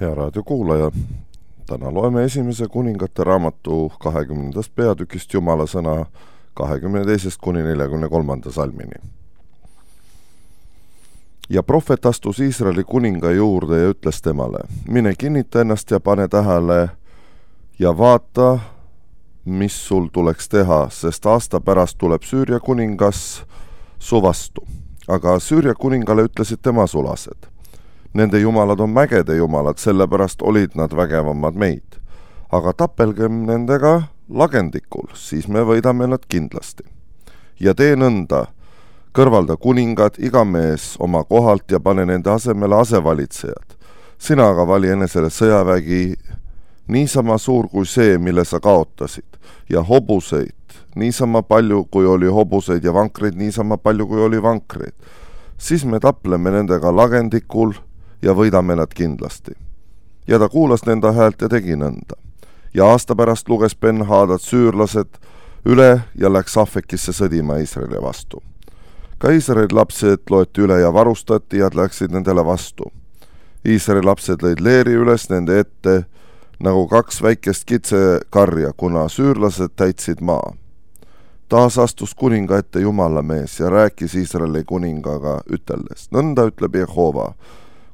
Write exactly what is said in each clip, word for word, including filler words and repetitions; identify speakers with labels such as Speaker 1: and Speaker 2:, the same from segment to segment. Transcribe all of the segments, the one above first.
Speaker 1: Hea raadiokuulaja, täna loeme esimese kuningate raamatu kahekümnendast peatükist Jumala sõna kahekümne teisest kuni neljakümne kolmanda salmini. Ja prohvet astus Iisraeli kuninga juurde ja ütles temale, mine kinnita ennast ja pane tähele ja vaata, mis sul tuleks teha, sest aasta pärast tuleb Süüria kuningas su vastu. Aga Süüria kuningale ütlesid tema sulased. Nende jumalad on mägede jumalad, sellepärast olid nad vägevamad meid. Aga tapelgem nendega lagendikul, siis me võidame nad kindlasti. Ja tee nõnda, kõrvalda kuningad, iga mees oma kohalt ja pane nende asemele asevalitsejad. Sina aga vali enesele sõjavägi niisama suur kui see, mille sa kaotasid, ja hobuseid niisama palju, kui oli hobuseid ja vankreid niisama palju, kui oli vankreid. Siis me tapleme nendega lagendikul ja võidame nad kindlasti. Ja ta kuulas nende häält ja tegi nõnda. Ja aasta pärast luges Ben-Hadad süürlased üle ja läks Afekisse sõdima Iisraeli vastu. Ka Iisraeli lapsed loeti üle ja varustati ja läksid nendele vastu. Iisraeli lapsed lõid leeri üles nende ette nagu kaks väikest kitsekarja, kuna süürlased täitsid maa. Taas astus kuninga ette Jumala mees ja rääkis Iisraeli kuningaga üteldes. Nõnda ütleb Jehova.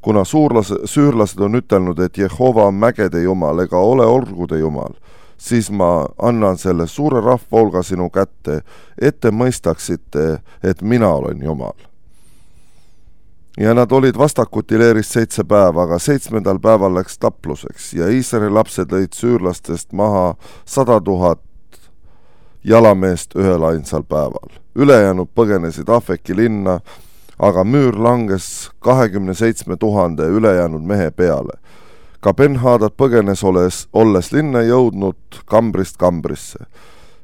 Speaker 1: Kuna suurlase, süürlased on ütelnud, et Jehova on mägede jumal ega ole orgude jumal, siis ma annan selle suure rahvaolga sinu kätte, ette mõistaksite, et mina olen jumal. Ja nad olid vastakuti leeris seitse päeva, aga seitsmendal päeval läks tapluseks ja Iisraeli lapsed lõid süürlastest maha sada tuhat jalameest ühel ainsal päeval. Ülejäänud põgenesid Afeki linna, aga müür langes kahekümne seitsme tuhande ülejäänud mehe peale. Ka Ben-Hadad põgenes olles, olles linna jõudnud kambrist kambrisse.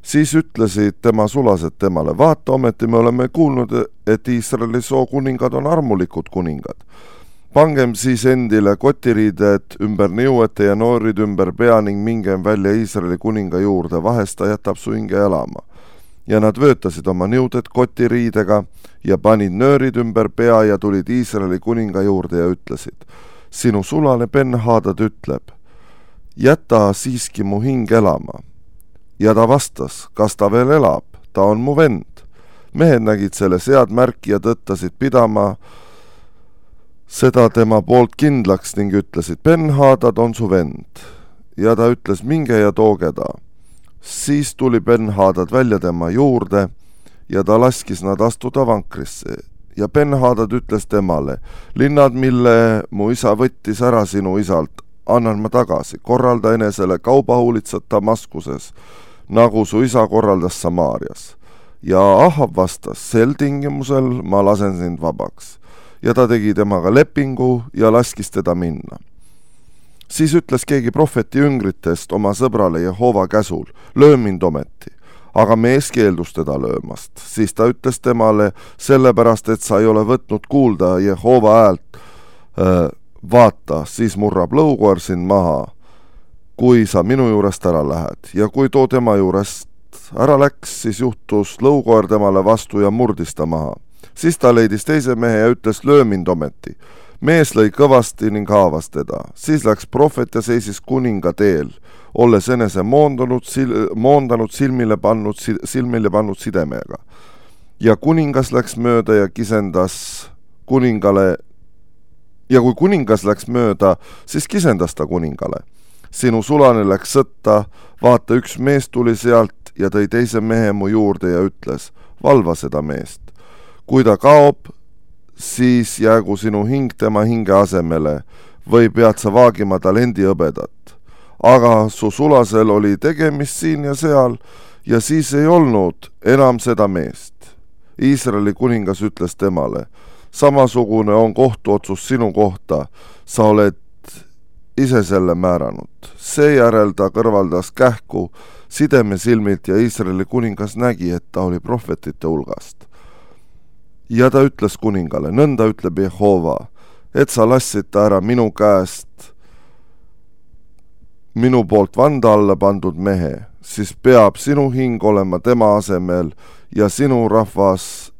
Speaker 1: Siis ütlesid tema sulased temale, vaata ometi me oleme kuulnud, et Iisraeli soo kuningad on armulikud kuningad. Pangem siis endile kotiriided ümber niuete ja noorid ümber pea ning mingem välja Iisraeli kuninga juurde, vahest ta jätab su hinge elama. Ja nad vöötasid oma niuded kotiriidega ja panid nöörid ümber pea ja tulid Iisraeli kuninga juurde ja ütlesid, sinu sulane Ben-Hadad ütleb, jäta siiski mu hing elama. Ja ta vastas, kas ta veel elab, ta on mu vend. Mehed nägid selle sead märki ja tõttasid pidama seda tema poolt kindlaks ning ütlesid, Ben-Hadad on su vend. Ja ta ütles, minge ja tooge ta. Siis tuli Ben-Hadad välja tema juurde ja ta laskis nad astuda vankrisse. Ja Ben-Hadad ütles temale, linnad, mille mu isa võttis ära sinu isalt, annan ma tagasi, korralda enesele kaubahuulitsad Damaskuses, nagu su isa korraldas Samaarias. Ja Ahab vastas, sel tingimusel ma lasen sind vabaks. Ja ta tegi temaga lepingu ja laskis teda minna. Siis ütles keegi prohveti jüngritest oma sõbrale Jehova käsul, löö mind ometi, aga mees keeldus teda löömast. Siis ta ütles temale, sellepärast, et sa ei ole võtnud kuulda Jehova häält, vaata, siis murrab lõukoer sind maha, kui sa minu juurest ära lähed. Ja kui too tema juurest ära läks, siis juhtus lõukoer temale vastu ja murdis ta maha. Siis ta leidis teise mehe ja ütles, löö mind ometi. Mees lõi kõvasti ning haavas teda. Siis läks prohvet ja seisis kuninga teel, olles enese moondanud, sil, moondanud silmile pannud, silmile pannud sidemega. Ja kuningas läks mööda ja kisendas kuningale, ja kui kuningas läks mööda, siis kisendas ta kuningale. Sinu sulane läks sõtta, vaata üks mees tuli sealt ja tõi teise mehe mu juurde ja ütles, valva seda meest. Kui ta kaob, siis jäägu sinu hing tema hinge asemele või pead sa vaagima talendi hõbedat. Aga su sulasel oli tegemist siin ja seal ja siis ei olnud enam seda meest. Iisraeli kuningas ütles temale, samasugune on kohtuotsus sinu kohta, sa oled ise selle määranud. Seejärel ta kõrvaldas kähku sideme silmilt ja Iisraeli kuningas nägi, et ta oli prohvetite hulgast. Ja ta ütles kuningale, nõnda ütleb Jehova, et sa lassid ta ära minu käest minu poolt vanda alla pandud mehe, siis peab sinu hing olema tema asemel ja sinu rahvas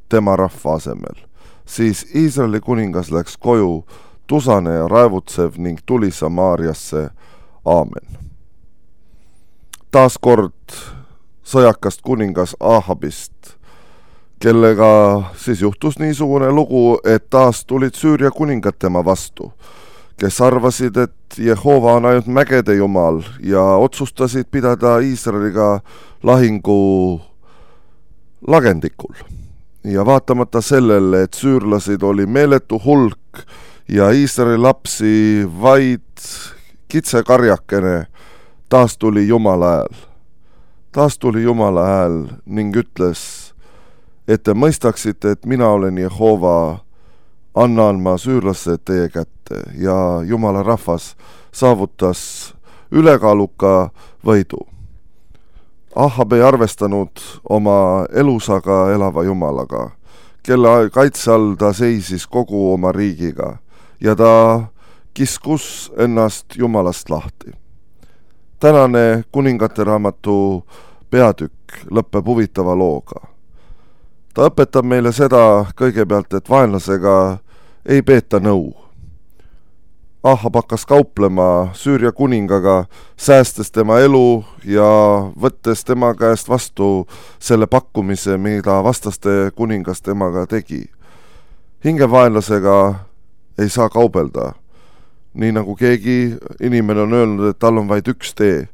Speaker 1: tema rahva asemel. Siis Iisraeli kuningas läks koju, tusane ja raevutsev ning tuli Samaariasse. Aamen. Taas kord sõjakast kuningas Ahabist, kellega siis juhtus niisugune lugu, et taas tulid Süüria kuningad tema vastu, kes arvasid, et Jehova on ainult mägede jumal ja otsustasid pidada Iisraeliga lahingu lagendikul. Ja vaatamata sellele, et süürlasid oli meeletu hulk ja Iisraeli lapsi vaid kitsekarjakene, taas tuli Jumala hääl. Taas tuli Jumala hääl ning ütles, et te mõistaksite, et mina olen Jehova, annan ma süürlased teie kätte, ja Jumala rahvas saavutas ülekaaluka võidu. Ahab ei arvestanud oma elusaga elava Jumalaga, kelle kaitse all ta seisis kogu oma riigiga ja ta kiskus ennast Jumalast lahti. Tänane kuningate raamatu peatükk lõpeb huvitava looga. Ta õpetab meile seda kõigepealt, et vaenlasega ei peeta nõu. Ahab hakkas kauplema Süüria kuningaga, säästes tema elu ja võttes tema käest vastu selle pakkumise, mida vastaste kuningas temaga tegi. Hingevaenlasega ei saa kaubelda. Nii nagu keegi inimene on öelnud, et tal on vaid üks tee,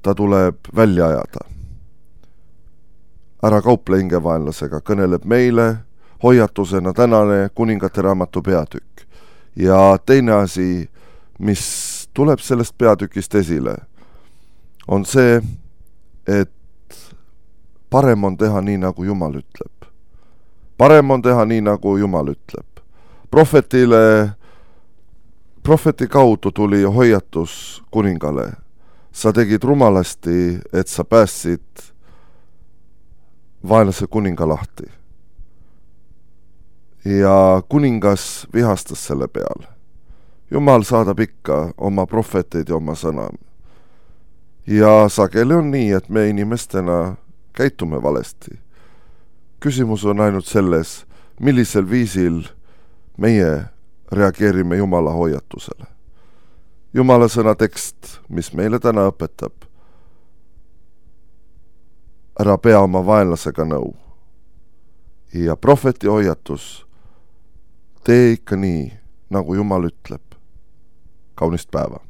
Speaker 1: ta tuleb välja ajada. Ära kauple hingevaenlasega, kõneleb meile hoiatusena tänane kuningate raamatu peatükk. Ja teine asi, mis tuleb sellest peatükist esile, on see, et parem on teha nii, nagu Jumal ütleb. Parem on teha nii, nagu Jumal ütleb. Prohvetile, prohveti kaudu tuli hoiatus kuningale. Sa tegid rumalasti, et sa päästsid vaenlase kuninga lahti. Ja kuningas vihastas selle peale. Jumal saadab ikka oma prohveteid ja oma sõna. Ja sageli on nii, et me inimestena käitume valesti. Küsimus on ainult selles, millisel viisil meie reageerime Jumala hoiatusele. Jumala sõna tekst, mis meile täna õpetab, ära pea oma vaenlasega nõu. Ja prohveti hoiatus, tee ikka nii, nagu Jumal ütleb. Kaunist päeva!